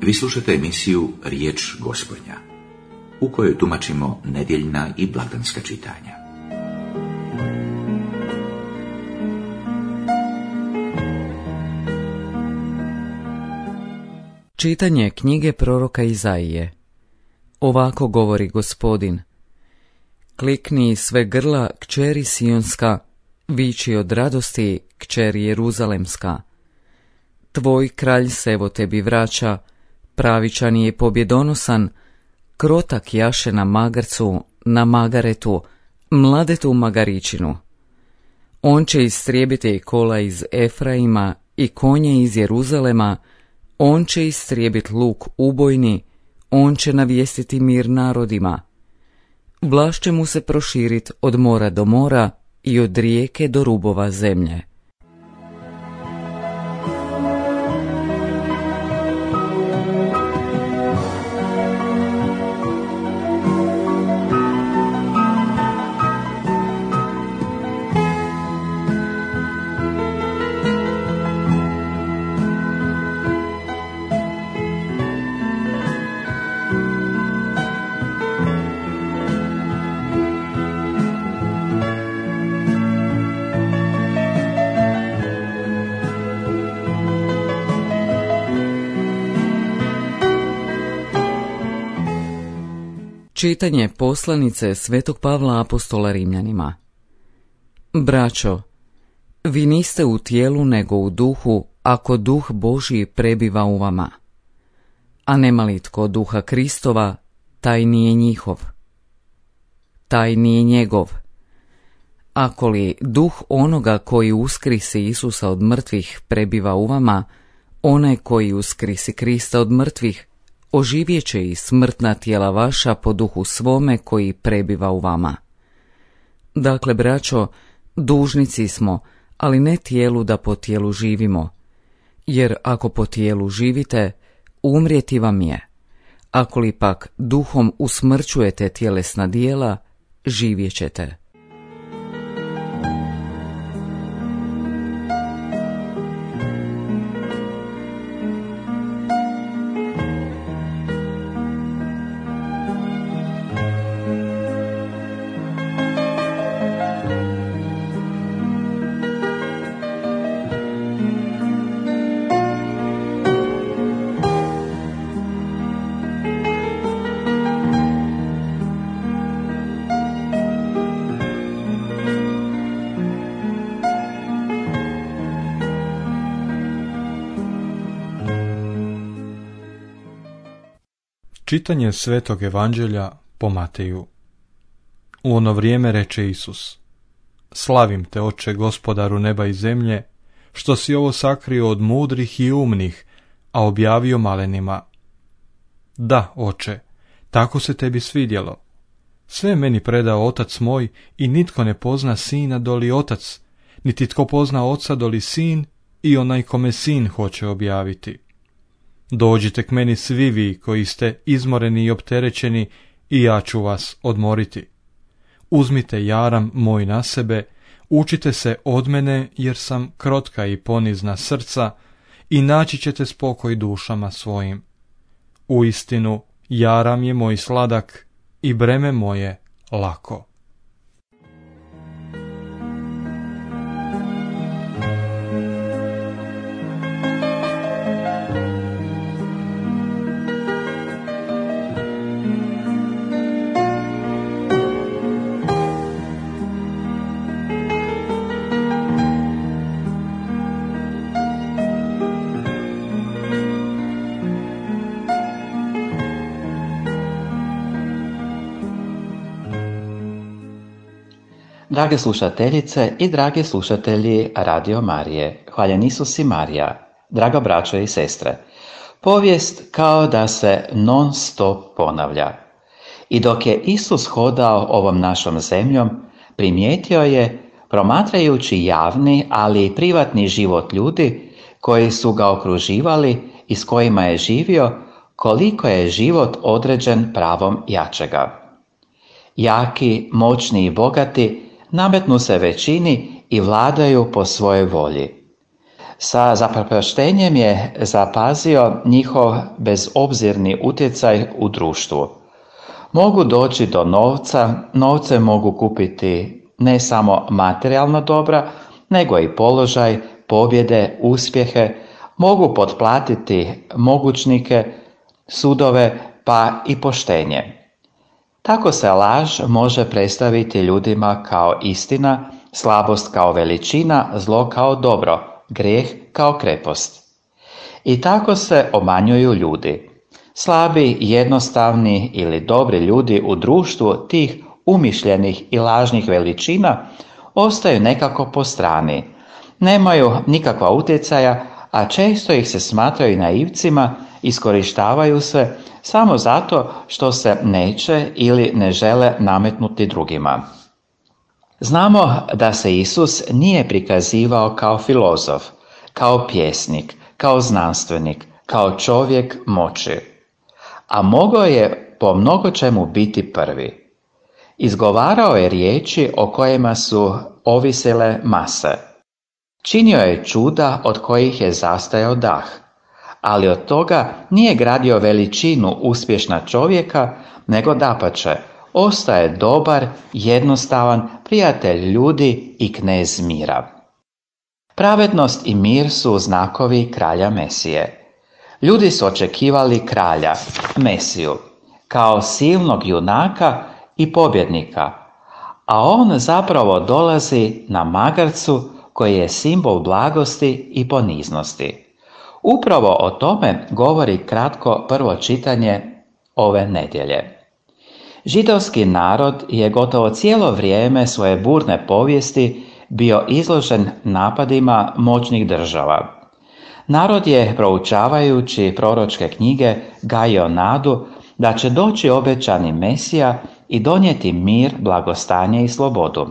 Vi slušate emisiju Riječ Gospodnja, u kojoj tumačimo nedjeljna i blagdanska čitanja. Čitanje knjige proroka Izaije. Ovako govori Gospodin: Klikni sve grla, kćeri Sionska, viči od radosti, kćeri Jeruzalemska. Tvoj kralj se evo tebi vraća, pravičan je pobjedonosan, krotak jaše na magarcu, na magaretu, mladetu magaričinu. On će istrijebiti kola iz Efraima i konje iz Jeruzalema, on će istrijebiti luk ubojni, on će navijestiti mir narodima. Vlast će mu se proširit od mora do mora i od rijeke do rubova zemlje. Čitanje poslanice Svetog Pavla apostola Rimljanima. Braćo, vi niste u tijelu nego u duhu, ako duh Božji prebiva u vama. A nema li tko duha Kristova, taj nije njihov. Taj nije njegov. Ako li duh onoga koji uskrisi Isusa od mrtvih prebiva u vama, onaj koji uskrisi Krista od mrtvih oživjet će i smrtna tijela vaša po duhu svome koji prebiva u vama. Dakle, braćo, dužnici smo, ali ne tijelu da po tijelu živimo. Jer ako po tijelu živite, umrijeti vam je. Ako li pak duhom usmrćujete tjelesna djela, živjet ćete. Čitanje Svetog Evanđelja po Mateju. U ono vrijeme reče Isus: Slavim te, Oče, Gospodaru neba i zemlje, što si ovo sakrio od mudrih i umnih, a objavio malenima. Da, Oče, tako se tebi svidjelo. Sve meni predao Otac moj i nitko ne pozna Sina doli Otac, niti tko pozna Oca doli Sin i onaj kome Sin hoće objaviti. Dođite k meni svi vi koji ste izmoreni i opterećeni i ja ću vas odmoriti. Uzmite jaram moj na sebe, učite se od mene jer sam krotka i ponizna srca i naći ćete spokoj dušama svojim. Uistinu, jaram je moj sladak i breme moje lako. Drage slušateljice i dragi slušatelji Radio Marije, hvaljen Isus i Marija, draga braćo i sestre, povijest kao da se non stop ponavlja. I dok je Isus hodao ovom našom zemljom, primijetio je, promatrajući javni, ali i privatni život ljudi koji su ga okruživali i s kojima je živio, koliko je život određen pravom jačega. Jaki, moćni i bogati nametnu se većini i vladaju po svojoj volji. Sa zaprepaštenjem je zapazio njihov bezobzirni utjecaj u društvu. Mogu doći do novca, novce mogu kupiti ne samo materijalna dobra, nego i položaj, pobjede, uspjehe, mogu potplatiti mogućnike, sudove, pa i poštenje. Tako se laž može predstaviti ljudima kao istina, slabost kao veličina, zlo kao dobro, grijeh kao krepost. I tako se obmanjuju ljudi. Slabi, jednostavni ili dobri ljudi u društvu tih umišljenih i lažnih veličina ostaju nekako po strani. Nemaju nikakva utjecaja, a često ih se smatraju naivcima, iskorištavaju se samo zato što se neće ili ne žele nametnuti drugima. Znamo da se Isus nije prikazivao kao filozof, kao pjesnik, kao znanstvenik, kao čovjek moći, a mogao je po mnogo čemu biti prvi. Izgovarao je riječi o kojima su ovisile mase. Činio je čuda od kojih je zastajao dah, ali od toga nije gradio veličinu uspješna čovjeka, nego dapače, ostaje dobar, jednostavan, prijatelj ljudi i knez mira. Pravednost i mir su znakovi kralja Mesije. Ljudi su očekivali kralja, Mesiju, kao silnog junaka i pobjednika, a on zapravo dolazi na magarcu koji je simbol blagosti i poniznosti. Upravo o tome govori kratko prvo čitanje ove nedjelje. Židovski narod je gotovo cijelo vrijeme svoje burne povijesti bio izložen napadima moćnih država. Narod je, proučavajući proročke knjige, gajio nadu da će doći obećani Mesija i donijeti mir, blagostanje i slobodu.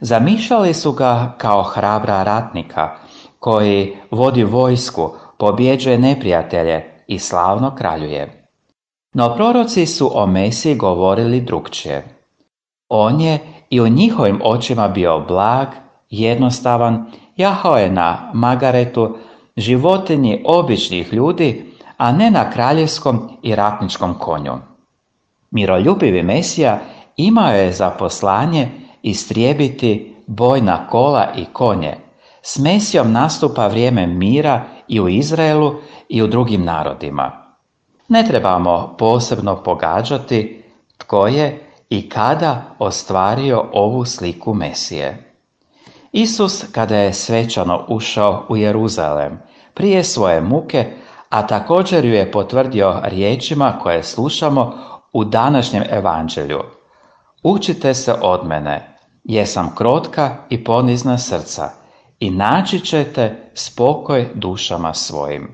Zamišljali su ga kao hrabra ratnika koji vodi vojsku, pobjeđuje neprijatelje i slavno kraljuje. No proroci su o Mesiji govorili drukčije. On je i u njihovim očima bio blag, jednostavan, jahao je na magaretu, životinji običnih ljudi, a ne na kraljevskom i ratničkom konju. Miroljubivi Mesija imao je za poslanje istrijebiti bojna kola i konje. S Mesijom nastupa vrijeme mira i u Izraelu i u drugim narodima. Ne trebamo posebno pogađati tko je i kada ostvario ovu sliku Mesije. Isus, kada je svečano ušao u Jeruzalem prije svoje muke, a također ju je potvrdio riječima koje slušamo u današnjem evanđelju. Učite se od mene, jesam krotka i ponizna srca, i naći ćete spokoj dušama svojim.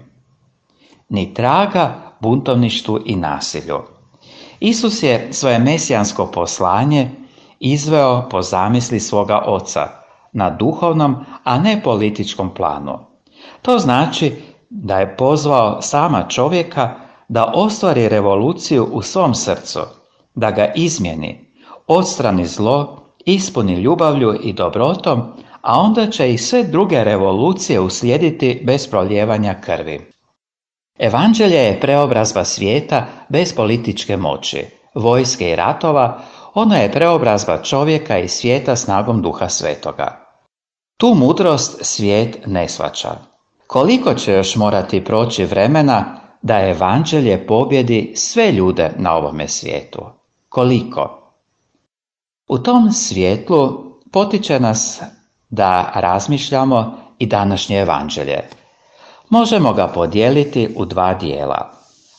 Ni traga buntovništvu i nasilju. Isus je svoje mesijansko poslanje izveo po zamisli svoga oca, na duhovnom, a ne političkom planu. To znači da je pozvao sama čovjeka da ostvari revoluciju u svom srcu, da ga izmijeni, odstrani zlo, ispuni ljubavlju i dobrotom, a onda će i sve druge revolucije uslijediti bez prolijevanja krvi. Evanđelje je preobrazba svijeta bez političke moći, vojske i ratova, ono je preobrazba čovjeka i svijeta snagom Duha Svetoga. Tu mudrost svijet ne shvaća. Koliko će još morati proći vremena da evanđelje pobjedi sve ljude na ovome svijetu? Koliko? U tom svjetlu potiče nas da razmišljamo i današnje evanđelje. Možemo ga podijeliti u dva dijela.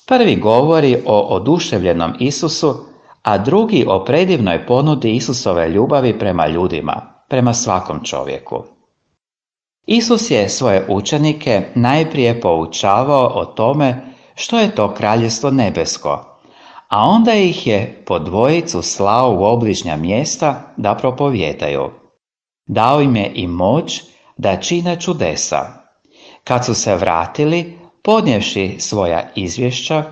Prvi govori o oduševljenom Isusu, a drugi o predivnoj ponudi Isusove ljubavi prema ljudima, prema svakom čovjeku. Isus je svoje učenike najprije poučavao o tome što je to kraljevstvo nebesko, a onda ih je po dvojicu slao u obližnja mjesta da propovijedaju. Dao im je i moć da čine čudesa. Kad su se vratili, podnijevši svoja izvješća,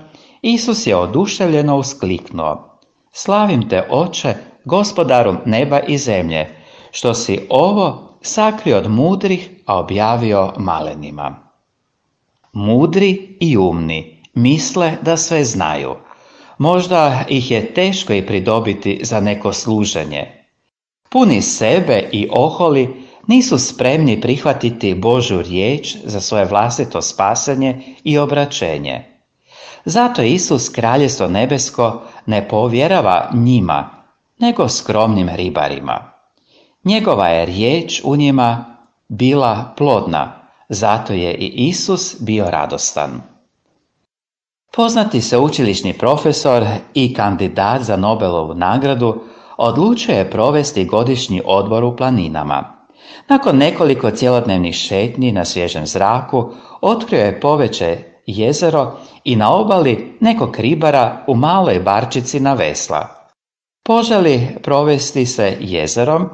Isus je oduševljeno uskliknuo: Slavim te, Oče, Gospodaru neba i zemlje, što si ovo sakrio od mudrih, a objavio malenima. Mudri i umni misle da sve znaju. Možda ih je teško i pridobiti za neko služenje. Puni sebe i oholi nisu spremni prihvatiti Božju riječ za svoje vlastito spasenje i obraćenje. Zato Isus kraljevstvo nebesko ne povjerava njima, nego skromnim ribarima. Njegova je riječ u njima bila plodna, zato je i Isus bio radostan. Poznati sveučilišni profesor i kandidat za Nobelovu nagradu odlučio je provesti godišnji odmor u planinama. Nakon nekoliko cjelodnevnih šetnji na svježem zraku, otkrio je poveće jezero i na obali nekog ribara u maloj barčici na vesla. Poželi provesti se jezerom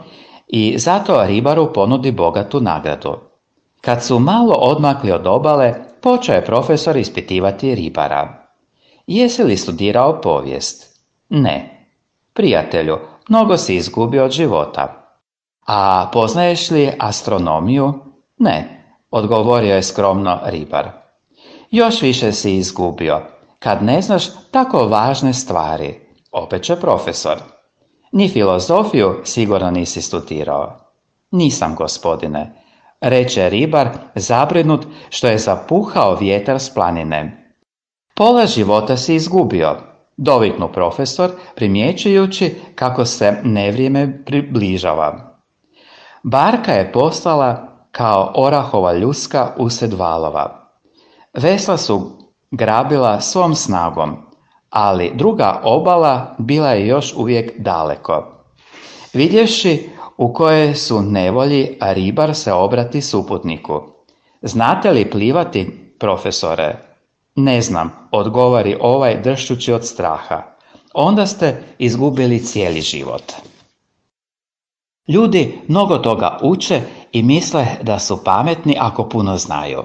i zato ribaru ponudi bogatu nagradu. Kad su malo odmakli od obale, počeo je profesor ispitivati ribara. Jesi li studirao povijest? Ne. Prijatelju, mnogo si izgubio od života. A poznaješ li astronomiju? Ne, odgovorio je skromno ribar. Još više si izgubio, kad ne znaš tako važne stvari, opeče profesor. Ni filozofiju sigurno nisi studirao. Nisam, gospodine, reče ribar, zabrinut što je zapuhao vjetar s planine. Pola života si izgubio, doviknu profesor, primjećujući kako se nevrijeme približava. Barka je postala kao orahova ljuska usred valova. Vesla su grabila svom snagom, ali druga obala bila je još uvijek daleko. Vidjevši u kojoj su nevolji, ribar se obrati suputniku. Znate li plivati, profesore? Ne znam, odgovori ovaj dršćući od straha. Onda ste izgubili cijeli život. Ljudi mnogo toga uče i misle da su pametni ako puno znaju.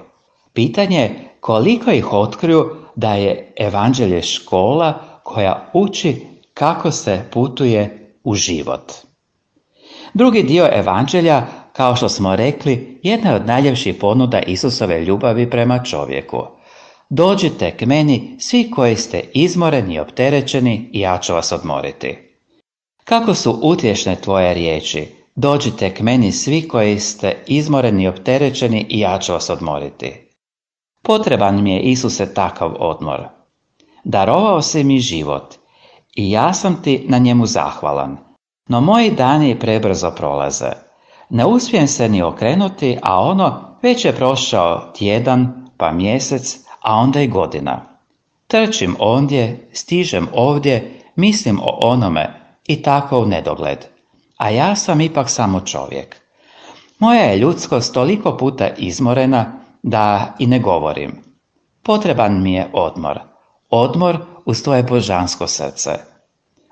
Pitanje je koliko ih otkriju da je evanđelje škola koja uči kako se putuje u život. Drugi dio evanđelja, kao što smo rekli, jedna je od najljepših ponuda Isusove ljubavi prema čovjeku. Dođite k meni svi koji ste izmoreni i opterećeni i ja ću vas odmoriti. Kako su utješne tvoje riječi, dođite k meni svi koji ste izmoreni i opterećeni i ja ću vas odmoriti. Potreban mi je, Isuse, takav odmor. Darovao si mi život i ja sam ti na njemu zahvalan, no moji dani prebrzo prolaze. Ne uspijem se ni okrenuti, a ono već je prošao tjedan, pa mjesec, a onda i godina. Trčim ondje, stižem ovdje, mislim o onome i tako u nedogled. A ja sam ipak samo čovjek. Moja je ljudskost toliko puta izmorena da i ne govorim. Potreban mi je odmor. Odmor uz tvoje božansko srce.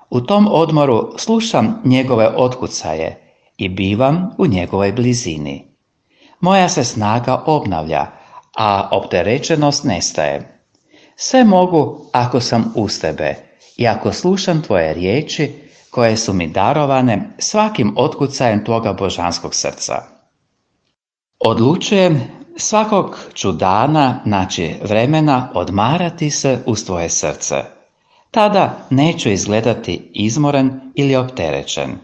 U tom odmoru slušam njegove otkucaje i bivam u njegovoj blizini. Moja se snaga obnavlja, a opterećenost nestaje. Sve mogu ako sam uz tebe i ako slušam tvoje riječi koje su mi darovane svakim otkucajem tvoga božanskog srca. Odlučujem svakog ću dana naći vremena odmarati se uz tvoje srce. Tada neću izgledati izmoren ili opterećen,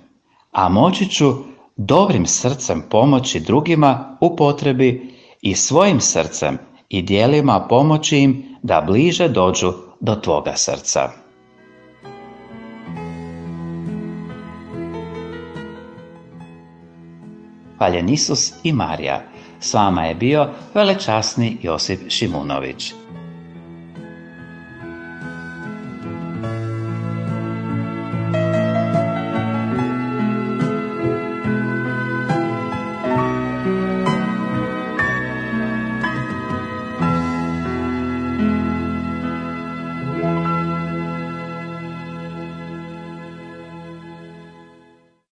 a moći ću dobrim srcem pomoći drugima u potrebi i svojim srcem i djelima pomoći im da bliže dođu do tvoga srca. Hvaljen Isus i Marija. S vama je bio velečasni Josip Šimunović.